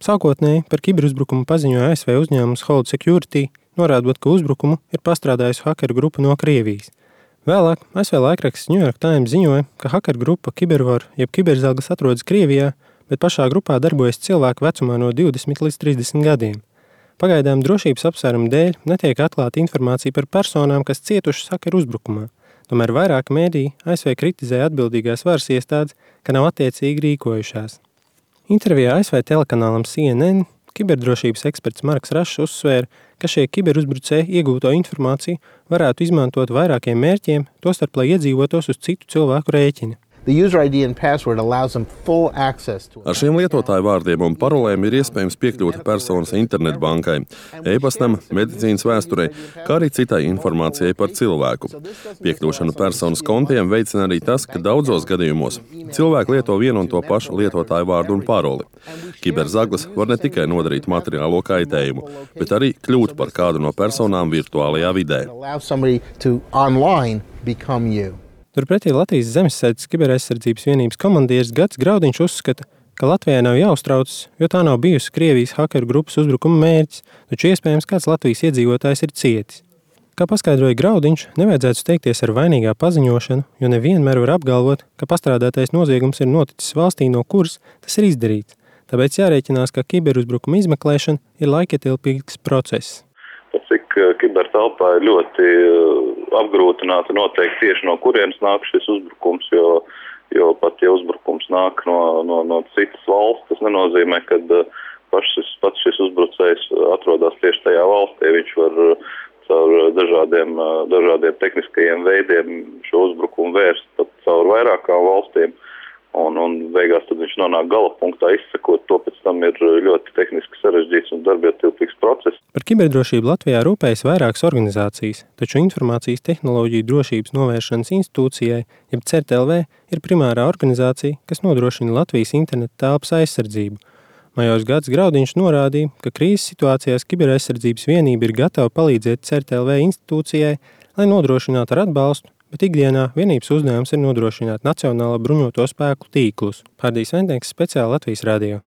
Sākotnēji par kiberuzbrukumu paziņoja ASV uzņēmums Hold Security, norādot, ka uzbrukumu ir pastrādājusi hakeru grupa no Krievijas. Vēlāk ASV laikraksts New York Times ziņoja, ka hakeru grupa Kibervar jeb Kiberzalgas atrodas Krievijā, bet pašā grupā darbojas cilvēku vecumā no 20 līdz 30 gadiem. Pagaidām drošības apsvērumu dēļ netiek atklāta informācija par personām, kas cietušas hakeru uzbrukumā. Tomēr vairāk mēdīji ASV kritizē atbildīgās varas iestādes, ka nav attiecīgi rīkojušās. Intervijā ASV telekanālam CNN kiberdrošības eksperts Marks Rašs uzsvēra, ka šie kiberuzbrucēji iegūto informāciju varētu izmantot vairākiem mērķiem, tostarp lai iedzīvotos uz citu cilvēku rēķina. Ar šiem lietotāju vārdiem un parolēm ir iespējams piekļūt personas internetbankai, e-pastam, medicīnas vēsturei, kā arī citai informācijai par cilvēku. Piekļūšanu personas kontiem veicina arī tas, ka daudzos gadījumos cilvēki lieto vienu un to pašu lietotāju vārdu un paroli. Kiberzaglis var ne tikai nodarīt materiālo kaitējumu, bet arī kļūt par kādu no personām virtuālajā vidē. Turpretī Latvijas Zemesardzes kiberaizsardzības vienības komandieris Gatis Graudiņš uzskata, ka Latvijai nav jāuztraucas, jo tā nav bijusi Krievijas hakeru grupas uzbrukuma mērķis, taču iespējams kāds Latvijas iedzīvotājs ir cietis. Kā paskaidroja Graudiņš, nevajadzētu steigties ar vainīgā paziņošanu, jo nevienmēr var apgalvot, ka pastrādātais noziegums ir noticis valstī, no kuras tas ir izdarīts. Tāpēc jārēķinās, ka kiberuzbrukuma izmeklēšana ir laikietilpīgs process. Cik kibertelpā ir ļoti apgrūtināta noteikti tieši no kurienes nāk šis uzbrukums, jo pat ja uzbrukums nāk no citas valsts, tas nenozīmē, ka pats šis uzbrucējs atrodas tieši tajā valstī. Viņš var caur dažādiem tehniskajiem veidiem šo uzbrukumu vērst pat caur vairākām valstīm. Un beigās tad viņš nonāk gala punktā, izsekot to, pēc tam ir ļoti tehniski sarežģīts un darbietilpīgs process. Par kiberdrošību Latvijā rūpējas vairākas organizācijas, taču Informācijas tehnoloģiju drošības novēršanas institūcijai, jeb CERT-LV, ir primārā organizācija, kas nodrošina Latvijas interneta telpas aizsardzību. Majors Gatis Graudiņš norādīja, ka krīzes situācijās kiberaizsardzības vienība ir gatava palīdzēt CERT-LV institūcijai, lai nodrošinātu ar atbalstu, bet ikdienā vienības uzdevums ir nodrošināt nacionālo bruņoto spēku tīklus. Pārdīs Ventnieks, speciāli Latvijas radio.